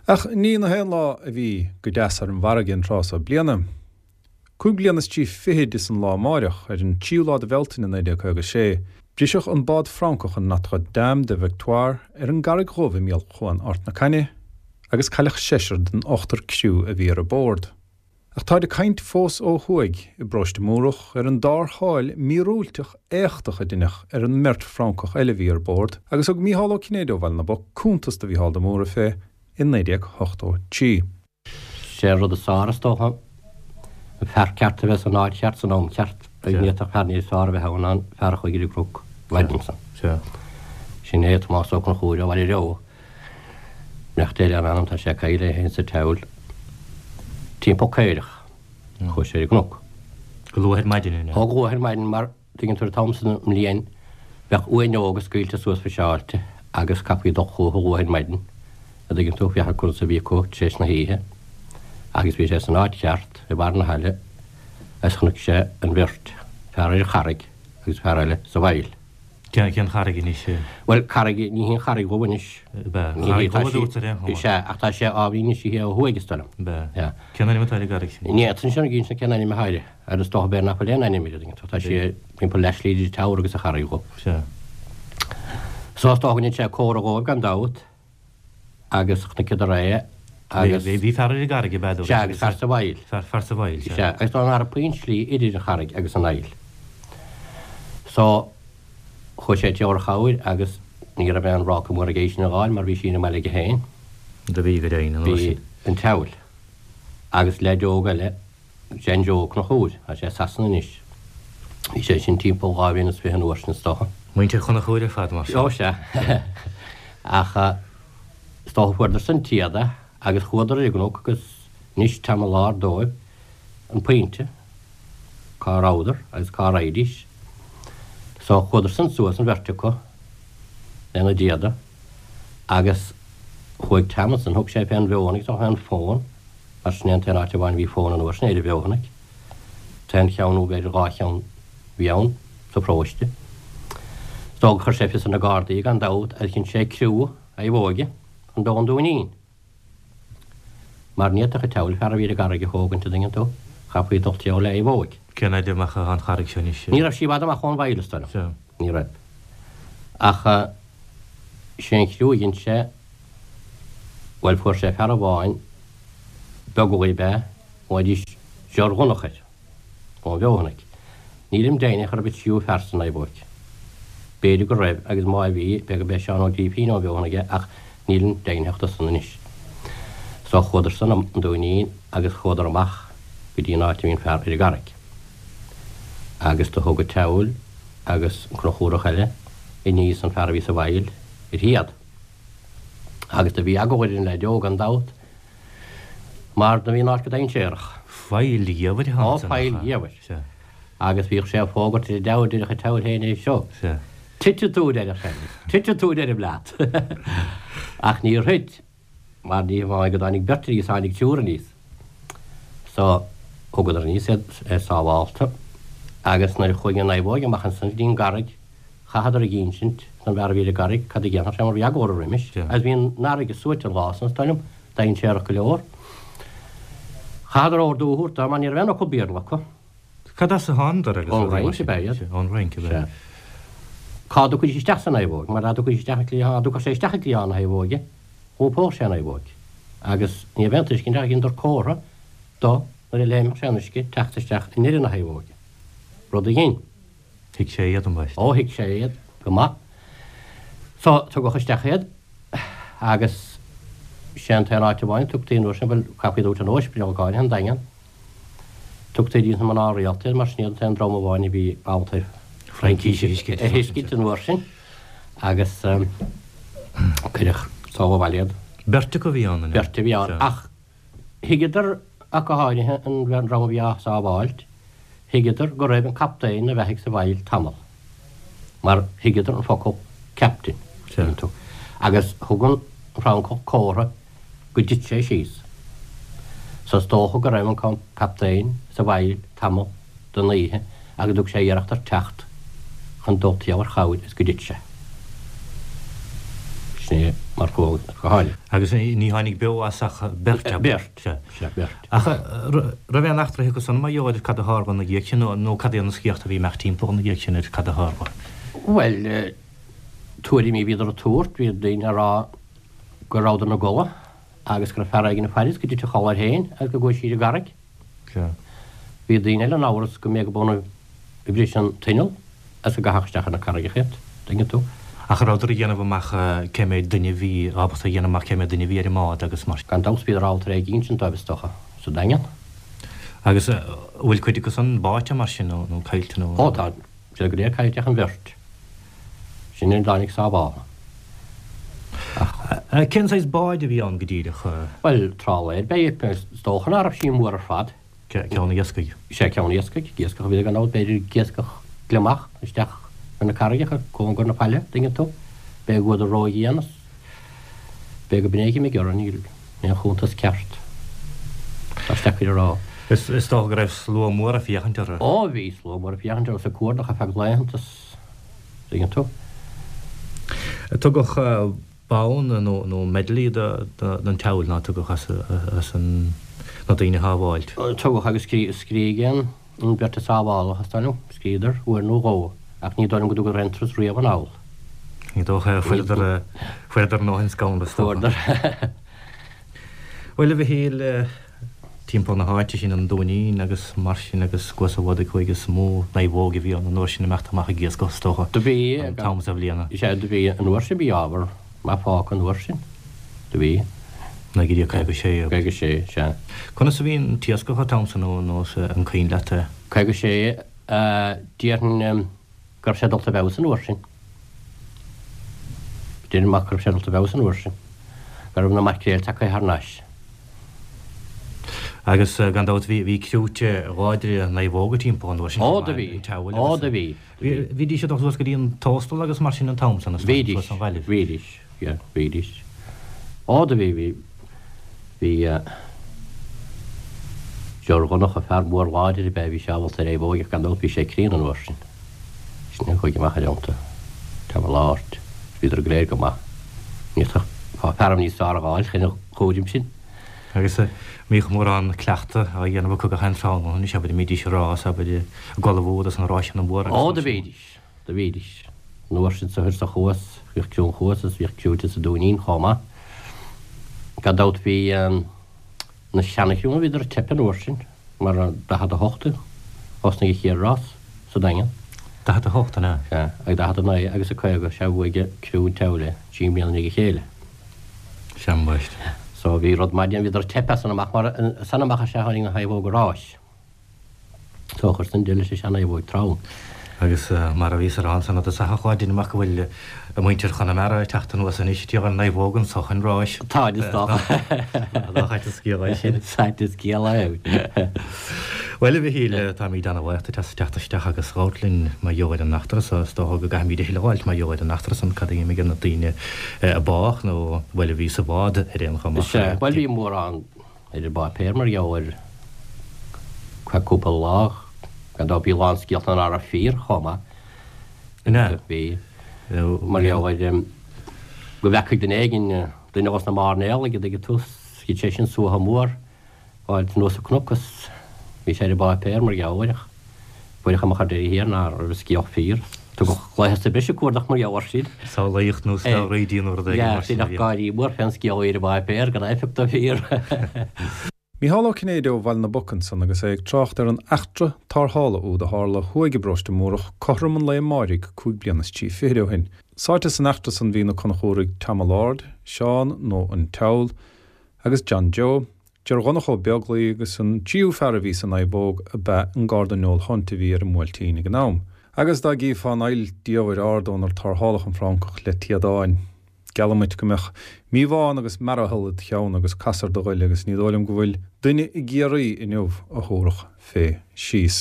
Ach ní na haon lá a bhí go deas ar an bhfarraige an tráth so bliana. 25 bliana is an lá amáireach, ar an tríú lá de Bhealtaine 1956, briseadh an bád Francach an Notre Dame de Victoire ar an gCarraig Dhubh i mbéal Chuan Ard na Caithne agus cailleadh seisear den ochtar criú a bhí ar bord. Ach táid ag caint fós ó thuaidh i bparóiste Múrach ar an dtarrtháil mhíorúilteach éachtach a deineadh ar an mbeirt Fhrancach eile a bhí ar bord agus thug Mícheál Ó Cinnéide ó Bhaile na bPoc cuntas do Mhícheál de Mórdha fé i 1983. Sé an rud is fearr, is dócha, an fear ceart a bheith san áit cheart san am ceart. Ní fhéadfadh fear níos fearr a bheith ann ná an fear a chuaigh ar an gcnoc an mhaidin san. Sin é Tomás Ó Conchúir ó Bhaile Reo. Beannacht Dé lena anam, tá sé caillte é féin sa tSeabhail timpeall caorach. Chuaigh sé ar an gcnoc. Go luath ar maidin, an ea? Ó, go luath ar maidin mar Tuigeann tú, an t-am san den mbliain, bheadh uaineoga scaoilte suas fiseáilte agus chaithfí dul chucu luath ar maidin, a dtuigeann tú, féachaint conas a bhí acu tar éis na hoíche. Agus bhí sé san áit cheart, i mbarr na haille, agus chonaic sé an bheirt, fear ar an charraig agus fear eile sa bhfaill. Cén charraig anois? Bhuel, carraig, ní hí an Charraig Dhubh anois. Ab ea? Ní hí, tá sí, is ea, ach tá sé ábhairín níos sia ó thuaidh, is dóigh liom. Ab ea? Sea. Cén ainm atá ar an gcarraig sin? Ní fhéadfainn sin a insint cén ainm atá uirthi. Ar is dócha b'fhéidir nach bhfuil aon ainm uirthi, tá sí timpeall leathshlí idir Teamhair agus an Charraig Dhubh. Sea. So is dócha go ndein sé comhartha dhóibh gan dabht agus chonaiceadar é agus. Bhí fear ar an gcarraig ab ea? Sea, agus fear sa bhfaill. Fear sa bhfaill, sea. Sea, agus dá ngar puinn slí idir an charraig agus an aill. So chuaigh sé timpeall ar chabhair agus ní raibh aon bhráca mór aige í sin a dh'fháil mar bhí sí ina mbaile aige féin. Do bhí, go deimhin, an uair sin. Bhí an tSeabhail agus leaid óg eile John Joe Ó Conchúir, tá sé i Sasana anois. Bhí sé sin timpeall 22 bhliain an uair sin is dócha. Muintir Chonchúir ar fad mar sin. Ó sea. Ach is dócha fuaireadar san iad agus chuadar ar an gcnoc agus d'inis Tom an Láir dóibh an pointe, cá rabhadar agus cá raghaidís. So chuadar san suas an bheirt acu lena dtéada agus chuaigh Tom ansan, thug sé fén bhfeothanaigh, is dócha fén bhfón, Mar sin é an t-aon áit amháin a bhí fón an uair sin ar an bhFeothanaigh. T-aon cheann nó b'fhéidir 2 cheann a bhí ann sa pharóiste. Is dócha gur chuir sé fios ar na Gardaí gan dabht agus dhein sé criú naomhóige chun dul an Dúinín. Mar ní fhéadfadh an tSeabhail fear a bhí ar an gcarraig a thógaint, an dtuigeann tú, chaithfí dul timpeall le naomhóig. Cén fhaid amach atá an charraig seo anois? Ní raibh sí i bhfad amach ón bhfaill, is dóigh liom. Ní raibh. Ach sé an criú a dhein sé, Bhuel, fuair sé fear amháin, beaglaoi ab ea, ghlaoidís George Dhonncha air, ón bhFeothanaigh. Nílim deimhneach an raibh an tríú fear sa naomhóig. B'fhéidir go raibh, agus má bhí, b'fhéidir gurb é Seán Ó Grífín ón bhFeothanaigh é, ach nílim deimhneach de san anois. So chuadar san an Dúinín agus chuadar amach go dtí an áit a bhí an fear ar an gcarraig. Agus do thug an tSeabhail agus an Conchúrach eile aníos an fear a bhí sa bhfaill ar théad. Agus do bhí eagla ar an leaid óg gan dabht, mar do bhí an áit go dainséarach. Faill gheimhridh Ó, faill gheimhridh. Agus bhíodh sé ag fógairt ar an diabhal, deireadh an tSeabhail féin é seo. Titfidh tú, deireadh sé, titfidh tú, deirim leat. Ach níor thit, mar ní hamháin go dtáinig beirt aníos, tháinig triúr aníos. So, thugadar aníos iad sábhálta, agus nuair a chuaigh an naomhóig amach ansan go dtí an gcarraig, Chaitheadar ag insint don bhfear a bhí ar an gcarraig cad a dhéanfadh sé mar bhí eagla orthu roimis, agus bhí an fharraige suaite an lá san, is dóigh liom, dainséarach go leor. Chaitheadar ordú a thabhairt dó mar ní raibh aon fhocal Béarla acu. Cad as a thánadar agus Ón Fhrainc ab ea iad. Ón Fhrainc ab ea. Sea. Cá dtiocfaidís isteach sa naomhóg, mar dá dtiocfaidís isteach an cliathán, dá dtiocfadh sé isteach i gcliathán na naomhóige, dh'iompódh sé an naomhóig. Agus ní raibh aon tuiscint ach dheineadar comhartha do nuair a léimfeadh sé an uisce teacht isteach i ndeireadh na naomhóige. Rud a dhein. Thuig sé iad, ambaiste. Ó, thuig sé iad go maith. So, tugadh isteach iad agus sé an t-aon áit amháin a tugtaí an uair sin, bhuel, chaithfí a thabhairt in ospidéal go háirithe, an Daingean. Tugtaí dtí na mná rialta iad mar sin iad an t-aon dream amháin a bhí ábalta Fraincís a thuiscint. a thuiscint an uair sin agus cuireadh so abhaile iad. Beirt acu a bhí ann, an ea? Beirt a bhí ann, ach Thuigeadar, ach go háirithe an dream a bhí á sábháilt, thuigeadar go raibh an captaen ina bheathaidh sa bhfaill tamall, mar thuigeadar an focal captain, tuigeann tú, agus thug an Francach comhartha go dtit sé síos. So is dócha go raibh an captaen sa bhfaill tamall den oíche agus thug sé iarracht ar teacht chun dul timpeall ar chabhair is go dtit sé. Sin é. Mar go háirithe. Agus ní tháinig beo as ach beirt, ab ea? Beirt, sea, beirt. Ach raibh aon eachtra acu san mar gheall ar cad a tharla ina dhiaidh sin nó cad é na scéalta a bhí ag imeacht timpeall ina dhiaidh sin ar cad a tharla? Bhuel, tuairimí a bhíodar ag tabhairt, bhí daoine ag rá go rabhadar ina gcodladh agus go raibh fear éigin ag faire is go dtit a chodladh air féin agus go gcuaigh siar i gcarraig. Sea. Bhí daoine eile in amhras go mb'é go b'ionadh a bhris an t-inneall agus go gcaitheadh isteach ar na carraigeacha iad, tuigeann tú. Ach an rabhadar ag déanamh amach cé méid duine a bhí, ábalta a dhéanamh amach cé méid duine a bhí ar an mbád agus mar. Gan dabht bhíodar ábalta ar é a insint dóibh is dócha, sa Daingean. Agus an bhfuil cuid acu san báite mar sin nó caillte nó. Ó tá siad go léir caillte ach an bheirt. Sin an dtáinig sábhála. Ach. Cén saghas báid a bhí ann go díreach? Bhuel, trálaer ab ea í, is dócha ná raibh sí mór ar fad. Ceann iascaigh? Sea, ceann iascaigh. Iascach a bhí gan dabht, b'fhéidir iascach gliomach isteach ar na carraigeacha, cóngar na faille, dtuigeann tú. B'fhéidir go bhfuadar ródhian is b'fhéidir go b'in é a d'imigh orthu, níl aon chuntas ceart. Tá sé deacair a rá. Is dócha go raibh slua mór ag féachaint orthu. Ó, bhí slua mór ag féachaint orthu is ag cuardach ar feadh laethanta is. Tuigeann tú? Tugadh bonn nó medaillí don tSeabhail ná tugadh as na daoine a shábháilt. Tugadh agus scrígh an bheirt a sábháladh, is dóigh liom, scríodar uair nó dhó, ach ní dóigh liom go dtugadar aon turas riamh anall. Ní dócha, fuaireadar a ndóthain scanradh, is dócha. Fuaireadar. Bhuel, a Mhichíl, timpeall na háite sin, an Dúinín agus mar sin agus Cuas an Bhodaigh thuaidh is mó naomhóg a bhí ann an uair sin ag imeacht amach ag iascach is dócha, Do bhí, an t-am sa bhliana. Sea, do bhí, an uair sin bhí ábhar maith fágtha an uair sin. Do bhí. 1956. 56, sea. Conas a bhí an t-iascach an t-am san nó an cuimhin leat é? 56, déarfainn go raibh sé dulta i bhfeabhas an uair sin. Deirim amach go raibh sé dulta i bhfeabhas an uair sin. Go raibh na maicréil tagtha thar n-ais. Agus gan dabht bhí bhí criúite láidre naomhóga timpeall an uair sin Ó do bhí, ó do bhí. Bhídís ag dul suas go dtí an Tóstal agus mar sin an t-am san, is dóigh, suas an Ghaillimh. Bhídís, yeah, bhídís. Ó do bhí, bhí, bhí George Dhonncha, fear mór láidir ab ea, bhí sé ábalta ar naomhóig ach gan dabht bhí sé críonna an uair sin. Sin a chuaigh amach ar iontu. Tamall ard. Bhíodar go léir go maith. Ní fhéadfá fear níos fearr a dh'fháil chun an chúraim sin. Agus mbíodh mórán cleachtadh á dhéanamh acu gach aon tráthnóna anois, abair, a mbídís ag rás, abair, ag ullmhú dos na ráiseanna móra agus Ó, do bhídís. Do bhídís. An uair sin sa thoir sa Chuas, bhíodh criú an Chuas is bhíodh criúite sa Dúinín chomh maith. Gan dabht bhí na seana-chriúnna, bhíodar ag teipeadh an uair sin. Mar i 48 a thosnaigh an chéad rás sa Daingean. 48, an ea? Sea, ag 49 agus ag 50, sea, bhuaigh criú an tSeabhail é, trí mbliana i ndiaidh a chéile. Sea, ambaiste. So bhí rud maith déanta, bhíodar ag teipeadh as san amach, mar as san amach is ea a tháinig na naomhóga ráis. So chuir san deireadh leis an sean-naomhóig trom. Agus mar a bhíos a rá ansan i dtosach a Pháidín amach go bhfuil muintir Chonamara ag teacht anuas anois ag tiarna naomhóg anso chun ráis. Táid is dócha. Nach ait an scéal é sin. Is ait an scéal é. Bhuel, a Mhichíl, táimíd ana-bhuíoch duit as teacht isteach agus labhairt linn mar gheall ar an eachtra so. Is dócha go gcaithfimíd a thuilleadh a fháilt mar gheall ar an eachtra san, cad a d'imigh ar na daoine a bádh nó, bhuel, a bhí sa bhád ar aon chuma. Sea, bhuel, bhí mórán ar an bpáipéar mar gheall air feadh cúpla lá, gan dabht bhí a lán scéalta ná raibh fíor chomh maith. An ea? Bhí. Mar gheall ar go bhfeacaigh duine éigin, duine dos na mairnéalaigh, an dtuigeann tú, thit sé sin suaitheadh mór fháilt anuas an cnoc is bhí sé ar an bpáipéar mar gheall air ach fuaireadh amach ar deireadh thiar ná raibh an scéal fíor. Tugadh laetha sa bhreis ag cuardach mar gheall air sin. Samhlaíocht nó snámh nó rud éigin mar sin a bhí. Deineadh gáirí mór fén scéal a bhí ar an bpáipéar gan éifeacht a fíor. Mícheál Ó Cinnéide ó Bhaile na bPoc ansan agus é ag trácht ar an eachtra tarrthála úd a tharla thuaidh i bparóiste Múrach cothrom an lae amáirigh cúig bliana is trí fichid ó shin. Sáite san eachtra san bhí na Conchúraigh Tamall Ard, Seán nó an tSeabhal, agus John Joe, Ger Dhonncha Ó Beaglaoi agus an tríú fear a bhí sa naomhóg ab ea an Garda Noel Hunt a bhí ar an mBuailtín ag an am. Agus dá gcífeá an aill diamhair ard ónar tarrtháladh an Francach le téadáin, geallaim duit go mbeadh míobhán agus mearathall id cheann agus casadh ar do ghoile agus ní dóigh liom go bhfuil duine i gCiarraí inniu a thabharfadh fé síos.